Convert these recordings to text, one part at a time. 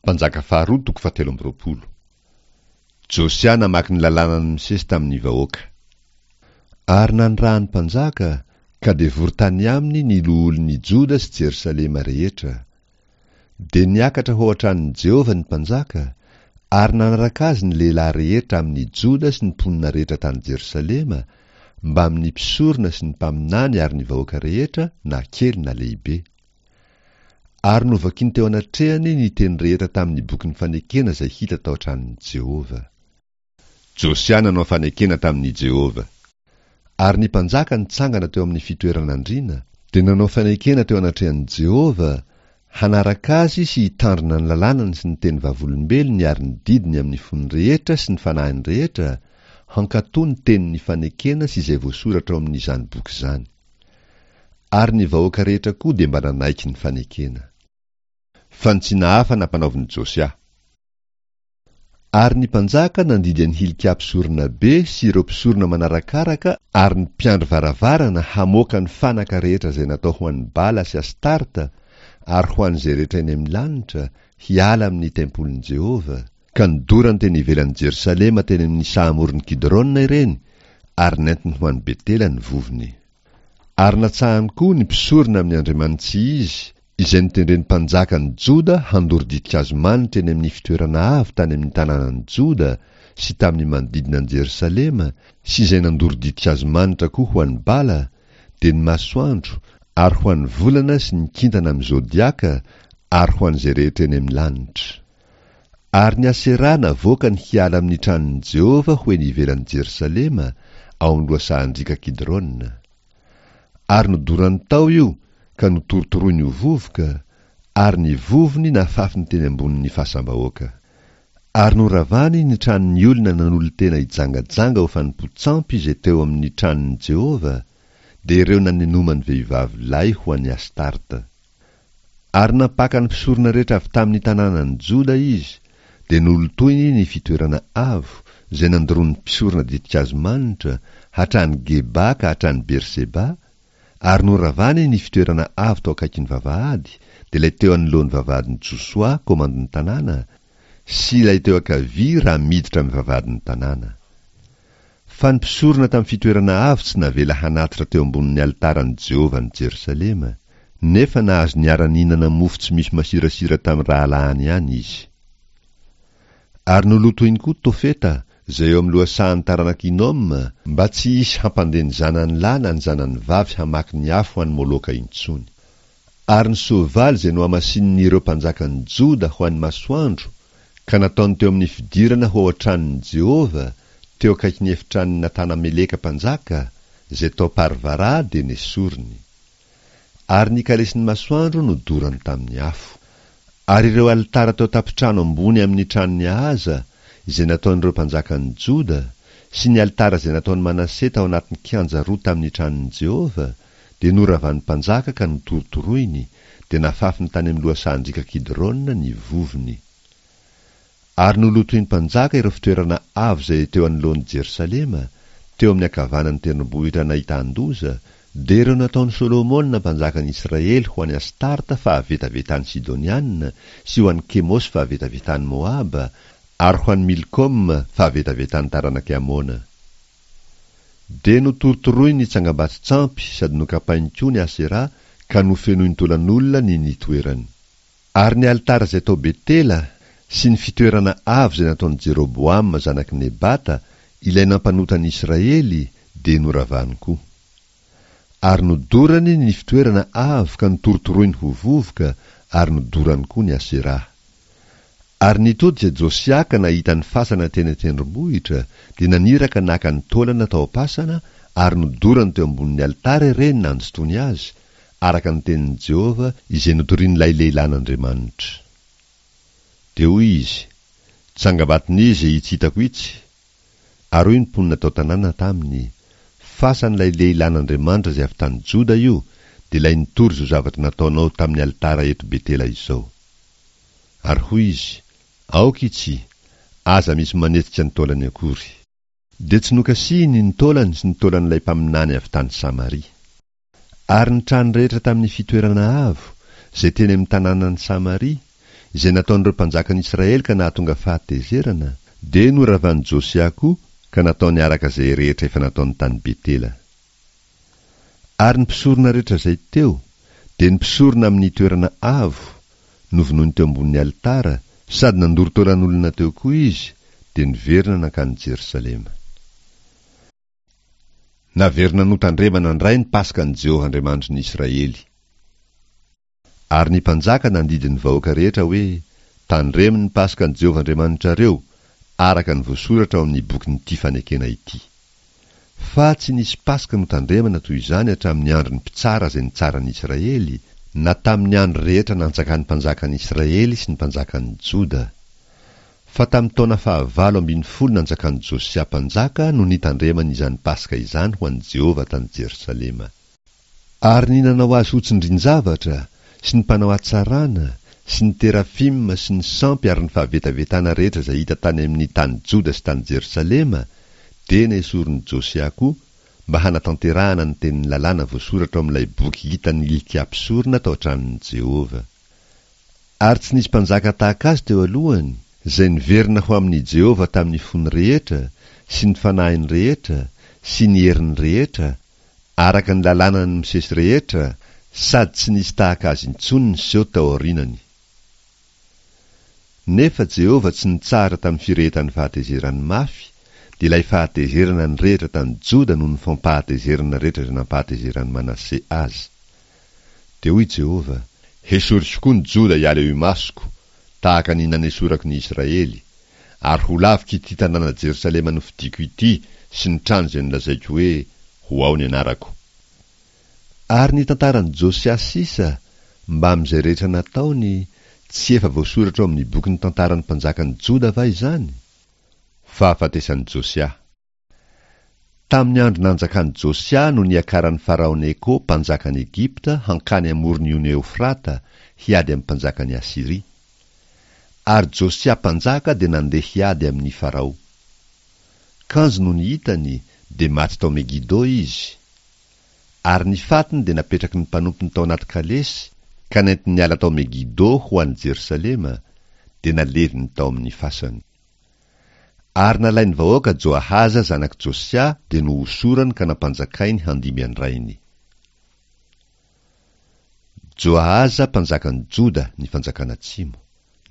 Mpanjaka faharoa toko fahatelo amby 20. Josia namaky ny lalànan'i Mosesy tamin'ny vahoaka. Ary nanirahan'ny mpanjaka, ka dia vory tany aminy ny loholon'i Joda sy Jerosalema rehetra. Dia niakatra ho ao an-tranon'i Jehovah ny mpanjaka, ary nanaraka azy ny lehilahy rehetra amin'i Joda sy ny mponina rehetra tany Jerosalema, mbamin'ny mpisorona sy ny mpaminany ary ny vahoaka rehetra, na kely na lehibe. Ary novakiny teo anatrehany ny teny rehetra tamin'ny bokin'ny fanekena izay hita tao an-tranon'i Jehovah. Josia nanao fanekena tamin'i Jehovah. Ary ny mpanjaka nitsangana teo amin'ny fitoeran'andriana, dia nanao fanekena teo anatrehan'i Jehovah, hanaraka azy sy hitandrina ny lalànany sy ny teny vavolombelony ary ny didiny amin'ny fony rehetra sy ny fanahiny rehetra, hankatò ny tenin'ny fanekena sy izay voasoratra ao amin'izany boky izany. Ary ny vahoaka rehetra koa dia mba nanaiky ny fanekena. Fanitsiana hafa nampanaovin'i Josia. Ary ny mpanjaka nandidy an'i Hilkia mpisoronabe sy ireo mpisorona manarakaraka ary ny mpiandry varavarana hamoaka ny fanaka rehetra izay natao ho an'i Bala sy Astarta ary ho an'izay rehetra eny amin'ny lanitra, hiala amin'ny tempolin'i Jehovah. Ka nodorany teny ivelan'i Jerosalema teny amin'ny saha amoron'i Kidrona ireny, ary nentiny ho any Betela ny vovony. Ary natsahany koa ny mpisorona amin'ny andriamani-tsy-izy, izay notendren'ny mpanjakan'i Joda handoro ditin-kazo manitra eny amin'ny fitoerana avo tany amin'ny tanànan'i Joda sy tamin'ny manodidina an'i Jerosalema, sy izay nandoro ditin-kazo manitra koa ho an'i Bala, dia ny masoandro, ary ho an'ny volana sy ny kintana amin'ny zodiaka, ary ho an'izay rehetra eny amin'ny lanitra. Ary ny Aseraha navoakany hiala amin'ny tranon'i Jehovah ho eny ivelan'i Jerosalema, ao amin'ny lohasahan-driaka Kidrona. Ary nodorany tao io ka notorotoroiny ho vovoka, ary ny vovony nafafiny teny ambonin'ny fasam-bahoaka. Ary noravany ny tranon'ny olona nanolo-tena hijangajanga ho fanompoan-tsampy izay teo amin'ny tranon'i Jehovah, dia ireo nanenomany vehivavy lay ho an'i Astarta. Ary nampaka ny mpisorona rehetra avy tamin'ny tanànan'i Joda izy, dia nolotoiny ny fitoerana avo, izay nandoroan'ny mpisorona ditin-kazo manitra, hatrany Geba ka hatrany Berseba, ary noravany ny fitoerana avo tao akaikin'ny vavahady, dia ilay teo anoloan'ny vavahadin'i Josoa, komandin'ny tanàna, sy ilay teo ankavia raha miditra amin'ny vavahadin'ny tanàna. Fa ny mpisorona tamin'ny fitoerana avo tsy navela hanatitra teo ambonin'ny alitaran'i Jehovah any Jerosalema, nefa nahazo niara-nihinana mofo tsy misy masirasira tamin'ny rahalahiny ihany izy. Ary nolotoiny koa Tofeta, izay eo amin'ny lohasahan'ny taranak'i Hinoma, mba tsy hisy hampandeha ny zanany lahy na ny zanany vavy hamaky ny afo ho an'i Moloka intsony. Ary ny soavaly izay nohamasinin'ireo mpanjakan'i Joda ho an'ny masoandro, ka nataony teo amin'ny fidirana ho ao an-tranon'i Jehovah, teo akaikin'ny efitranon'i Natana-meleka mpanjaka, izay tao Parvara, dia nesoriny. Ary ny kalesin'ny masoandro nodorany tamin'ny afo. Ary ireo alitara teo an-tampon-trano ambony amin'ny tranon'i Ahaza, izay nataon'ireo mpanjakan'i Joda, sy ny alitara izay nataon'i Manase tao anatin'ny kianja roa tamin'ny tranon'i Jehovah, dia noravan'ny mpanjaka ka notorotoroiny, dia nafafiny tany amin'ny lohasahan-driaka Kidrona ny vovony. Ary nolotoin'ny mpanjaka ireo fitoerana avo izay teo anoloan'i Jerosalema, teo amin'ny ankavanan'ny tendrombohitra nahitan-doza, dia ireo nataon'i Solomona mpanjakan'i Israely ho an'i Astarta fahavetavetan'ny Sidoniana sy ho an'i Kemosy fahavetavetan'i Moaba ary ho an'i Milkoma fahavetavetan'ny taranak'i Amona. Dia notorotoroiny ny tsangambato-tsampy sady nokapainy koa ny Aseraha ka nofenoiny taolan'olona ny nitoerany. Ary ny alitara izay tao Betela sy ny fitoerana avo izay nataon'i Jeroboama zanak'i Nebata, ilay nampanota an'i Israely, dia noravany koa. Ary nodorany ny fitoerana avo ka notorotoroiny ho vovoka ary nodorany koa ny Aseraha. Ary nitodika Josia ka nahita ny fasana teny an-tendrombohitra, dia naniraka naka ny taolana tao am-pasana ary nodorany teo ambonin'ny alitara ireny nandotoany azy, araka ny tenin'i Jehovah izay notorian'ilay lehilahin'Andriamanitra. Dia hoy izy, Tsangambaton'iza itsy hitako itsy? Ary hoy ny mponina tao an-tanàna taminy, Fasan'ilay lehilahin'Andriamanitra izay avy tany Joda io, dia ilay nitory izao zavatra nataonao tamin'ny alitara eto Betela izao. Ary hoy izy, Aoka itsy, aza misy manetsika ny taolany akory. Dia tsy nokasihiny ny taolany sy ny taolan'ilay mpaminany avy tany Samaria. Ary ny trano rehetra tamin'ny fitoerana avo, izay teny amin'ny tanànan'i Samaria, izay nataon'ireo mpanjakan'i Israely ka nahatonga fahatezerana, dia noravan'i Josia koa ka nataony araka izay rehetra efa nataony tany Betela. Ary ny mpisorona rehetra izay teo, dia ny mpisorona amin'ny toerana avo, novonoiny teo ambonin'ny alitara, sady nandoro taolan'olona teo koa izy, dia niverina nankany Jerosalema. Naverina notandremana indray ny Paskan'i Jehovah Andriamanitry ny Israely. Ary ny mpanjaka nandidy ny vahoaka rehetra hoe, Tandremo ny Paskan'i Jehovah Andriamanitrareo, araka ny voasoratra ao amin'ny bokin'ity fanekena ity. Fa tsy nisy Paska notandremana toy izany hatramin'ny andron'ny mpitsara izay nitsara ny Israely, na tamin'ny andro rehetra nanjakan'ny mpanjakan'ny Israely sy ny mpanjakan'ny Joda. Fa tamin'ny taona fahavalo ambinifolo nanjakan'i Josia mpanjaka no nitandremany izany Paska izany ho an'i Jehovah tany Jerosalema. Ary ny nanao azy ho tsindrin-javatra, sy ny mpanao hatsarana, sy ny terafima, sy ny sampy ary ny fahavetavetana rehetra izay hita tany amin' ny tany Joda sy tany Jerosalema, dia nesorin'i Josia koa, mba hanatanterahana ny tenin'ny lalàna voasoratra ao amin'ilay boky hitan'i Hilkia mpisorona tao an-tranon'i Jehovah. Ary tsy nisy mpanjaka tahaka azy teo alohany, izay niverina ho amin'i Jehovah tamin'ny fony rehetra, sy ny fanahiny rehetra, sy ny heriny rehetra, araka ny lalànan'i Mosesy rehetra, sady tsy nisy tahaka azy intsony niseho tao aorianany. Nefa Jehovah tsy nitsahatra tamin'ny firehetan'ny fahatezerany mafy, dia ilay fahatezerana nirehitra tany Joda noho ny fampahatezerana rehetra izay nampahatezeran'i Manase azy. Dia hoy Jehovah, Hesoriko koa ny Joda hiala eo imasoko, tahaka ny nanesorako ny Israely, ary ho laviko ity tanàna Jerosalema nofidiko ity sy ny trano izay nolazaiko hoe, Ho ao ny anarako. Ary ny tantaran'i Josia sisa, mbamin'izay rehetra nataony, tsy efa voasoratra ao amin'ny bokin'ny tantaran'ny mpanjakan'i Joda va izany? Fahafatesan'i Josia. Tamin'ny andro nanjakan'i Josia no niakaran'i Farao Neko mpanjakan'i Egypta hankany amoron'ny ony Eofrata hiady amin'ny mpanjakan'i Asyria. Ary Josia mpanjaka dia nandeha hiady amin'i Farao. Kanjo nony hitany, dia maty tao Megido izy. Ary ny fatiny dia napetraky ny mpanompony tao anaty kalesy ka nentiny niala tao Megido ho any Jerosalema, dia naleviny tao amin'ny fasany. Ary nalain'ny vahoaka Joahaza zanak'i Josia dia nohosorany ka nampanjakainy handimby an-drainy. Joahaza mpanjakan'i Joda ny fanjakana atsimo.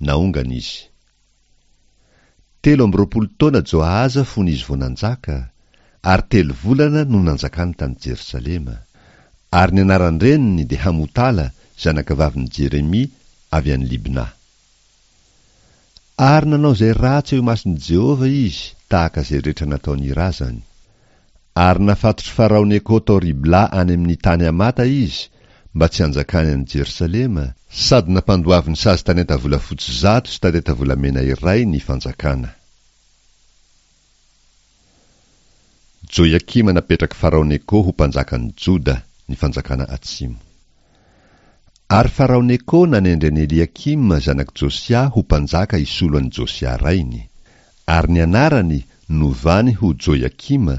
Naongana izy. 23 taona Joahaza fony izy vao nanjaka, ary telo volana no nanjakany tany Jerosalema. Ary ny anaran-dreniny dia Hamotala zanakavavin'i Jeremia avy any Libna. Ary nanao izay ratsy eo imason'i Jehovah izy, tahaka izay rehetra nataon'ny razany. Ary nafatotr'i Farao Neko tao Ribla any amin'ny tany Hamata izy, mba tsy hanjakany any Jerosalema, sady nampandoaviny sazy talenta volafotsy 100 sy talenta volamena iray ny fanjakana. Joiakima napetrak'i Farao Neko ho mpanjakan'i Joda, ny fanjakana atsimo. Ary Farao Neko nanendry an'i Eliakima zanak'i Josia ho mpanjaka hisolo an'i Josia rainy, ary ny anarany novany ho Joiakima,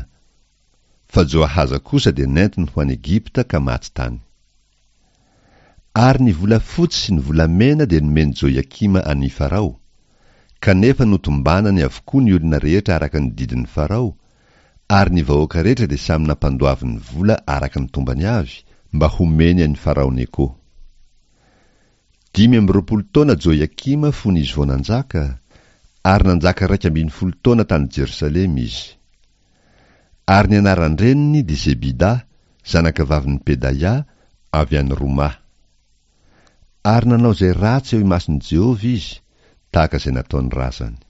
fa Joahaza kosa dia nentiny ho any Egypta ka maty tany. Ary ny volafotsy sy ny volamena dia nomen'i Joiakima an'i Farao, kanefa notombanany avokoa ny olona rehetra araka ny didin'i Farao, ary ny vahoaka rehetra dia samy nampandoaviny vola araka ny tombany avy, mba homeny an'i Farao Neko. 25 taona Joiakima fony izy vao nanjaka, ary nanjaka 11 taona tany Jerosalema izy. Ary ny anaran-dreniny dia Zebida, zanakavavin'i Pedaia, avy any Romà. Ary nanao izay ratsy eo imason'i Jehovah izy, tahaka izay nataon'ny razany.